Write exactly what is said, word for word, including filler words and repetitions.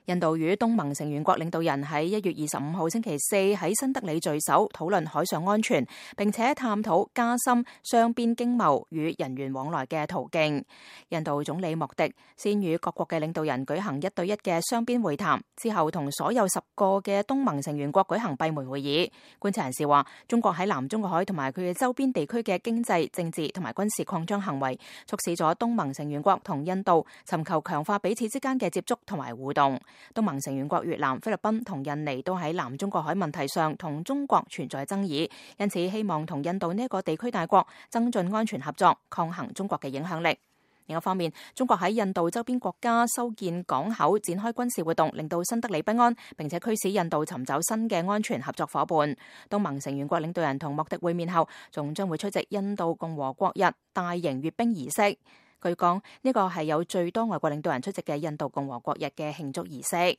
印度與東盟成員國領導人喺一月二十五號星期四喺新德里聚首，討論海上安全，並且探討加深雙邊經貿與人員往來嘅途徑。印度總理莫迪先與各國嘅領導人舉行一對一嘅雙邊會談，之後同所有十個嘅東盟成員國舉行閉門會議。觀察人士話，中國喺南中國海同埋佢嘅周邊地區嘅經濟、政治同埋軍事擴張行為，促使咗東盟成員國同印度尋求強化彼此之間嘅接觸同埋互動。東盟成員國越南、菲律賓同印尼都喺南中國海問題上同中國存在爭議，因此希望同印度呢一個地區大國增進安全合作，抗衡中國嘅影響力。另一方面，中國喺印度周邊國家修建港口、展開軍事活動，令到新德里不安，並且驅使印度尋找新嘅安全合作伙伴。東盟成員國領導人同莫迪會面後，仲將會出席印度共和國日大型閱兵儀式。據講，呢個係有最多外國領導人出席嘅印度共和國日嘅慶祝儀式。